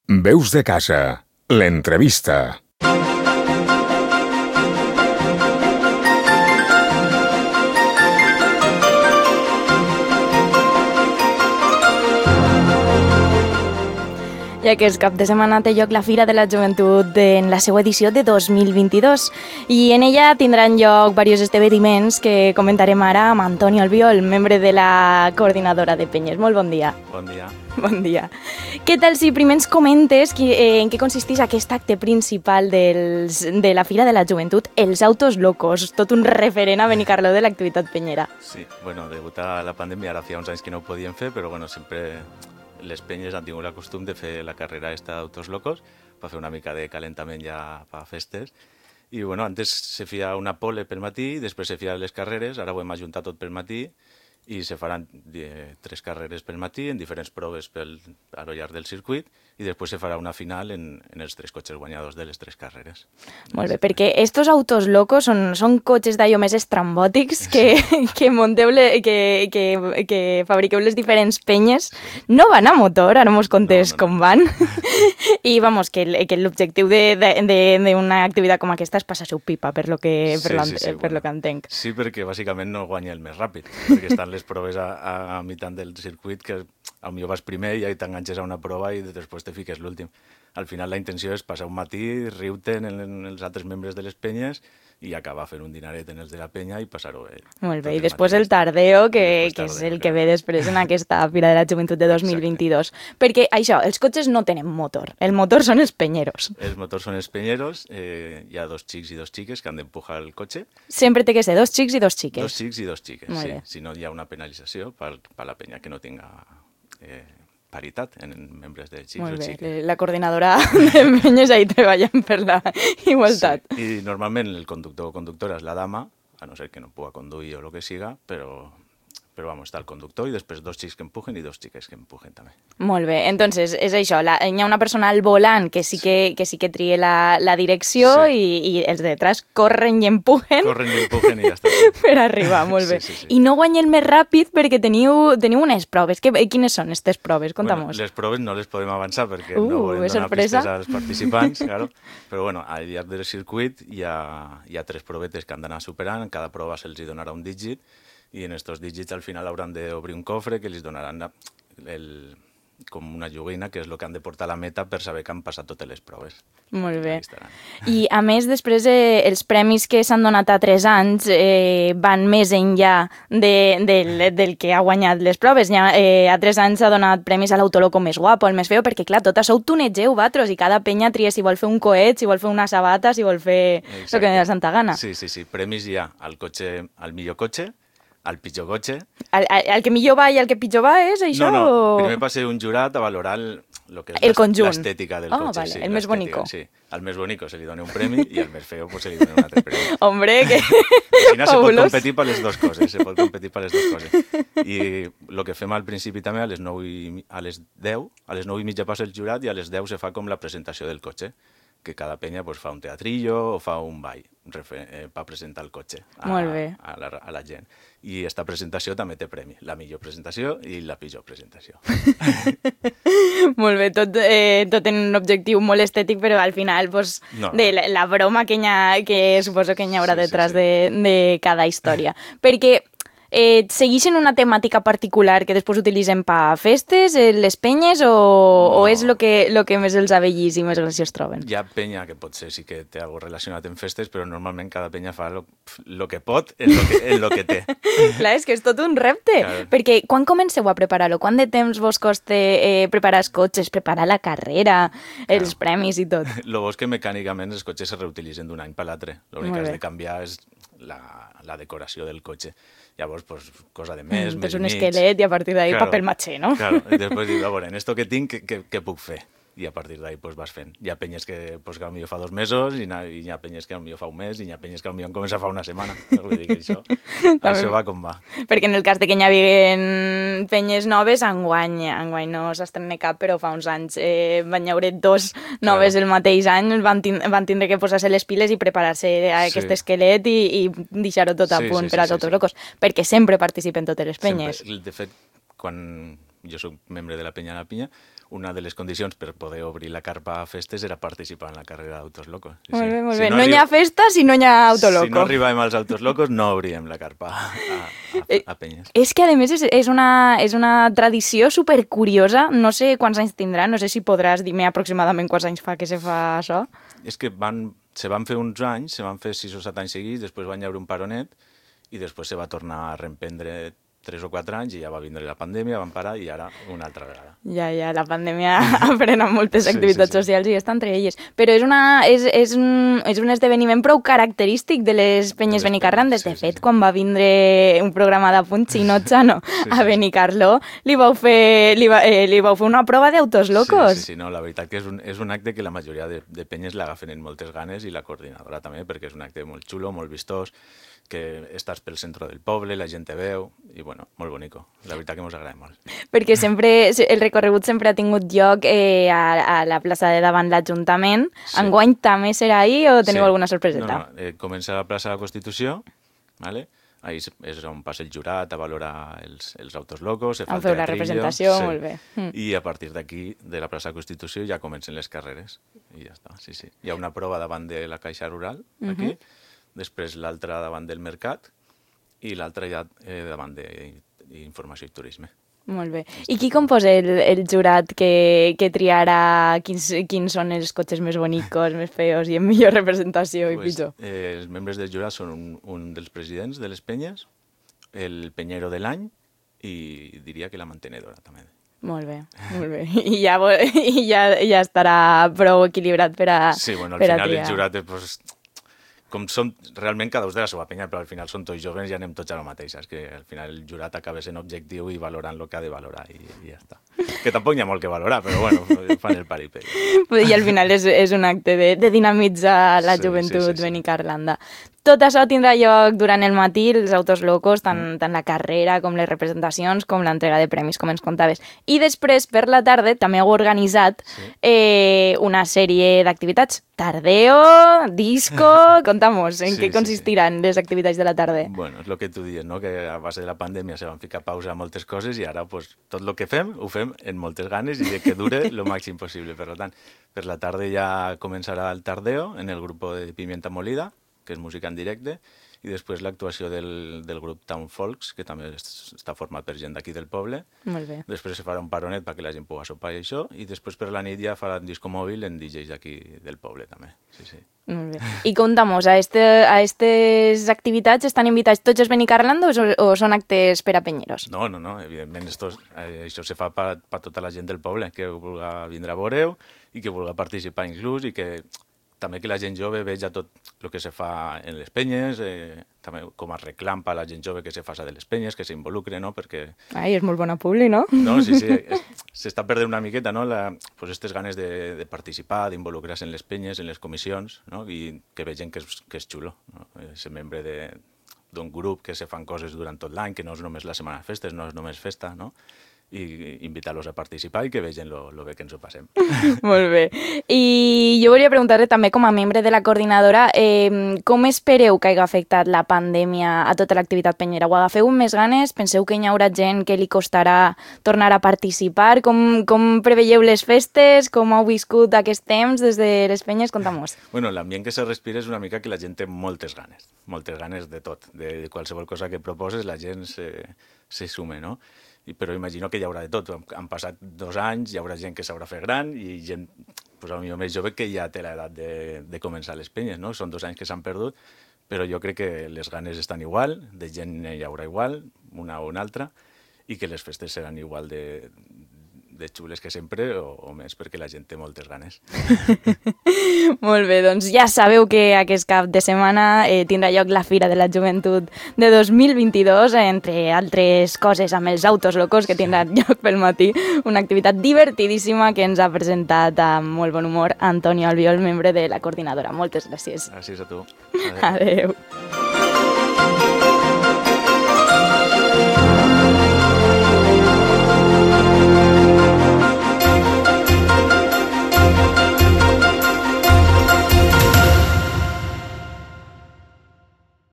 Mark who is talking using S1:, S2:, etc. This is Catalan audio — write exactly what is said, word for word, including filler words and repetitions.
S1: Veus de casa, l'entrevista.
S2: Ja que és cap de setmana té lloc la Fira de la Joventut en la seva edició de dos mil vint-i-dos i en ella tindran lloc diversos esdeveniments que comentarem ara amb Antoni Albiol, membre de la coordinadora de Penyes. Molt bon dia.
S3: Bon dia.
S2: Bon dia. Què tal si primer ens comentes qui, eh, en què consisteix aquest acte principal dels, de la Fira de la Joventut, els Autos Locos, tot un referent a Benicarló de l'activitat penyera.
S3: Sí, bueno, degut a la pandèmia ara feia uns anys que no ho podien fer, però bueno, sempre les penyes han tingut el costum de fer la carrera esta d'Autos Locos per fer una mica de calentament ja per festes. I bueno, antes se feia una pole pel matí, després se feien les carreres, ara ho hem ajuntat tot pel matí i se faran eh, tres carreres pel matí en diferents proves pel, a lo llarg del circuit i després se farà una final en, en els tres cotxes guanyadors de les tres carreres.
S2: Molt bé, perquè estos Autos Locos són, són cotxes d'allò més estrambòtics que, sí. que monteu, le, que, que, que fabriqueu les diferents penyes. No van a motor, ara mos contes no, no, no. com van. I vamos, que, que l'objectiu d'una activitat com aquesta és passar-se-ho pipa, per lo que, per, sí, sí, sí, per bueno, lo que entenc.
S3: Sí, perquè bàsicament no guanya el més ràpid, perquè estan les proves a, a, a mitant del circuit que potser vas primer i t'enganxes a una prova i després te fiques l'últim. Al final la intenció és passar un matí, riure-te'n en, en els altres membres de les penyes i acabar fent un dinaret en els de la penya i passar-ho bé.
S2: Molt bé, i després el tardeo, que, que és el que ve després en aquesta Fira de la Joventut de dos mil vint-i-dos. Exacte. Perquè això, els cotxes no tenen motor, el motor són els penyeros.
S3: Els motors són els penyeros, eh, hi ha dos xics i dos xiques que han d'empujar el cotxe.
S2: Sempre té que ser dos xics i dos xiques.
S3: Dos xics i dos xiques,
S2: Molt
S3: sí.
S2: bé.
S3: Si no hi ha una penalització per, per la penya que no tinga eh, paritat en membres de xics
S2: Molt
S3: o
S2: bé.
S3: xiques.
S2: La coordinadora de penyes ahí treballant per la igualtat.
S3: Sí. I normalment el conductor o conductora és la dama, a no ser que no puga conduir o el que siga, però... però vamos, està el conductor i després dos xics que empujen i dos xiques que empujen també.
S2: Molt bé, entonces és això, la, hi ha una persona al volant que sí que, que, sí que trie la, la direcció sí. i, i els de detrás corren i empujen.
S3: Corren i empujen i ja està.
S2: Per arribar, molt bé. Sí, sí, sí. I no guanyen més ràpid perquè teniu, teniu unes proves. Que, quines són aquestes proves? Contamos.
S3: Bueno, les proves no les podem avançar perquè
S2: uh,
S3: no volem donar
S2: sorpresa.
S3: pistes als participants, claro. Però bueno, al llarg del circuit hi ha, hi ha tres provetes que han d'anar superant, en cada prova se'ls donarà un dígit i en estos dígits al final hauran d'obrir un cofre que els donaran la, el, com una joguina, que és el que han de portar a la meta per saber que han passat totes les proves.
S2: Molt bé. I a més, després eh, els premis que s'han donat a tres anys eh, van més enllà de, del, del que ha guanyat les proves. Ja, eh, a tres anys s'ha donat premis a l'autoloco més guapo, el més feo, perquè clar, tot això ho tunegeu vosaltres i cada penya tria si vol fer un coet, si vol fer una sabata, si vol fer el que li da la santa gana.
S3: Sí, sí, sí. Premis hi ha al cotxe, al millor cotxe, al pitjor cotxe.
S2: El, el, el que millor va i el que pitjor va és això?
S3: No, no,
S2: o...
S3: primer va ser un jurat a valorar el, lo que és
S2: el conjunt.
S3: L'estètica del
S2: oh,
S3: cotxe.
S2: Vale.
S3: Sí,
S2: el més bonico.
S3: Sí. Al més bonico se li dona un premi i al més feo pues, se li dona un altre premi.
S2: Hombre, que
S3: Al final se pot competir per les dues coses, se pot competir per les dues coses. I el que fem al principi també, a les nou i, a les deu, a les nou i mitja passa el jurat i a les deu se fa com la presentació del cotxe, que cada penya pues, fa un teatrillo o fa un ball eh, per presentar el cotxe a,
S2: Molt bé.
S3: A, la, a la gent. I esta presentació també té premi, la millor presentació i la pitjor presentació.
S2: Molt bé, tot, eh, tot en un objectiu molt estètic, però al final pues, no, no. de la, la broma que, ha, que suposo que hi haurà sí, detrás sí, sí. De, de cada història. Perquè eh, segueixen una temàtica particular que després utilitzen per festes, eh, les penyes, o, no. o és el que, lo que més els abellís i més graciós troben?
S3: Hi ha penya que potser sí que té alguna relacionat amb festes, però normalment cada penya fa el que pot en lo que, en lo que té.
S2: Clar, és que és tot un repte, claro. Perquè quan comenceu a preparar-ho? Quant de temps vos costa eh, preparar els cotxes, preparar la carrera, claro. Els premis i tot?
S3: Lo bo és que mecànicament els cotxes se reutilitzen d'un any per l'altre. L'únic que has de canviar és la, la decoració del cotxe. Llavors, pues, cosa de mes,
S2: mm,
S3: mes
S2: un
S3: i mig.
S2: esquelet i a partir d'ahí claro, paper maché, no?
S3: Claro, i després dius, a veure, en esto que tinc, què, què puc fer? I a partir d'ahí pues, vas fent. Hi ha penyes que, pues, que potser fa dos mesos i, na, i hi ha penyes que potser fa un mes i hi ha penyes que potser comença fa una setmana. Vull dir que això, això va com va.
S2: Perquè en el cas de que hi havien penyes noves, enguany, enguany no s'estrena cap, però fa uns anys eh, van haure dos noves claro. El mateix any, van, tin van tindre que posar-se les piles i preparar-se a aquest sí. esquelet i, i deixar-ho tot a
S3: sí,
S2: punt
S3: sí,
S2: per als
S3: sí,
S2: Autos
S3: sí.
S2: Locos, perquè sempre participen totes les penyes.
S3: Sempre. De fet, quan jo soc membre de la penya a la pinya, una de les condicions per poder obrir la carpa a festes era participar en la carrera d'Autos Locos. Sí,
S2: molt bé, molt
S3: sí.
S2: bé.
S3: Si no,
S2: no
S3: arri...
S2: hi ha festa si no hi ha Autoloco.
S3: Si no arribàvem als Autos Locos no obríem la carpa a, a, a Penyes.
S2: És que, a més, és, és, una, és una tradició supercuriosa. No sé quants anys tindrà, no sé si podràs dir-me aproximadament quants anys fa que se fa això.
S3: És que van, se van fer uns anys, se van fer sis o set anys seguits, després van haver un paronet i després se va tornar a reemprendre tres o quatre anys i ja va vindre la pandèmia, van parar i ara una altra vegada.
S2: Ja, ja, la pandèmia ha frenat moltes
S3: sí,
S2: activitats
S3: sí, sí.
S2: socials i està entre elles. Però és, una, és, és, un, és un esdeveniment prou característic de les Penyes Benicarrandes. De
S3: sí,
S2: fet,
S3: sí, sí.
S2: quan va vindre un programa de punt Chino Chano sí, sí, a Benicarló, li vau fer, li, va, eh, li vau fer una prova d'Autos Locos.
S3: Sí, sí, sí, no, la veritat que és un, és un acte que la majoria de, de penyes l'agafen en moltes ganes i la coordinadora també, perquè és un acte molt xulo, molt vistós, que estàs pel centre del poble, la gent te veu, i bueno, molt bonico. La veritat que mos agrada molt.
S2: Perquè sempre, el recorregut sempre ha tingut lloc eh, a, a la plaça de davant l'Ajuntament. Sí. Enguany també serà ahí o teniu sí. alguna sorpreseta?
S3: No, no, eh, comença a la plaça de la Constitució, ¿vale? Ahí és on passa el jurat a valorar els, els Autos Locos, se fa
S2: el teatrillo, la representació, sí. Molt bé. Mm.
S3: I a partir d'aquí, de la plaça de la Constitució, ja comencen les carreres. I ja està, sí, sí. Hi ha una prova davant de la Caixa Rural, aquí, uh-huh. Després l'altra davant del Mercat i l'altra ja eh, davant d'Informació i Turisme.
S2: Molt bé. I qui composa el, el jurat que, que triarà quins, quins són els cotxes més bonicos, més feos i amb millor representació
S3: pues,
S2: i pitjor?
S3: Eh, els membres del jurat són un, un dels presidents de les penyes, el penyero de l'any i diria que la mantenedora també.
S2: Molt bé, molt bé. I ja, i ja, ja estarà prou equilibrat per a
S3: Sí, bueno, al
S2: per
S3: final
S2: triar.
S3: El jurat és... Pues, com som realment cada un de la seva penya, però al final són tots joves i anem tots a la mateixa. És que al final el jurat acaba sent objectiu i valorant el que ha de valorar i, i ja està. Que tampoc hi ha molt que valorar, però bueno, fan el paripé.
S2: I al final és, és un acte de, de dinamitzar la
S3: sí,
S2: joventut
S3: sí, sí, sí.
S2: benicarlanda. Tot això tindrà lloc durant el matí, els Autos Locos, tant, mm. tant la carrera com les representacions, com l'entrega de premis, com ens contaves. I després, per la tarda, també heu organitzat sí. eh, una sèrie d'activitats. Tardeo, disco... Contamos, en sí, què consistiran sí, sí. les activitats de la tarda?
S3: Bueno, és el que tu dius, no? Que a base de la pandèmia se van ficar pausa a moltes coses i ara pues, tot el que fem ho fem en moltes ganes i que dure el màxim possible. Per tant, per la tarda ja començarà el Tardeo en el grup de Pimienta Molida, que és música en directe, i després l'actuació del, del grup Town Folks, que també està format per gent d'aquí del poble.
S2: Molt bé.
S3: Després se farà un paronet perquè la gent pugui sopar i això, i després per la nit ja farà un disco mòbil en D Js d'aquí del poble també. Sí, sí.
S2: Molt bé. I contamos, a aquestes activitats estan invitats tots els benicarlandos o, o són actes per a penyeros?
S3: No, no, no, evidentment esto, eh, això se fa per pa tota la gent del poble, que vulgui vindre a veure-ho i que vulgui participar inclús i que també que la gent jove veja tot el que se fa en les penyes, eh, també com a reclam per a la gent jove que se faça de les penyes, que s'involucre, no? Perquè...
S2: Ai, és molt bona publi, no?
S3: No, sí, sí, s'està perdent una miqueta, no? La, pues estes ganes de, de participar, d'involucrar-se en les penyes, en les comissions, no? I que vegin que és, que és xulo, no? Ser membre d'un grup que se fan coses durant tot l'any, que no és només la setmana de festes, no és només festa, no? I invitar-los a participar i que vegin lo, lo bé que ens ho passem.
S2: Molt bé. I jo volia preguntar-te també, com a membre de la coordinadora, eh, com espereu que hagi afectat la pandèmia a tota l'activitat penyera? Ho agafeu amb més ganes? Penseu que hi haurà gent que li costarà tornar a participar? Com, com preveieu les festes? Com heu viscut aquest temps des de les penyes? Conta-mos.
S3: Bueno, l'ambient que se respira és una mica que la gent té moltes ganes, moltes ganes de tot. De, de qualsevol cosa que proposes, la gent se, se sume, no? I, però imagino que hi haurà de tot. Han passat dos anys, hi haurà gent que s'haurà fet gran i gent, pues, potser més jove que ja té l'edat de, de començar les penyes, no? Són dos anys que s'han perdut, però jo crec que les ganes estan igual, de gent hi haurà igual, una o una altra, i que les festes seran igual de, de xules que sempre o, o més, perquè la gent té moltes ganes.
S2: Molt bé, doncs ja sabeu que aquest cap de setmana eh, tindrà lloc la Fira de la Joventut de dos mil vint-i-dos, entre altres coses amb els Autos Locos que tindran lloc pel matí, una activitat divertidíssima que ens ha presentat amb molt bon humor Antonio Albiol, membre de la coordinadora. Moltes gràcies.
S3: Gràcies a tu.
S2: Adéu. Adéu.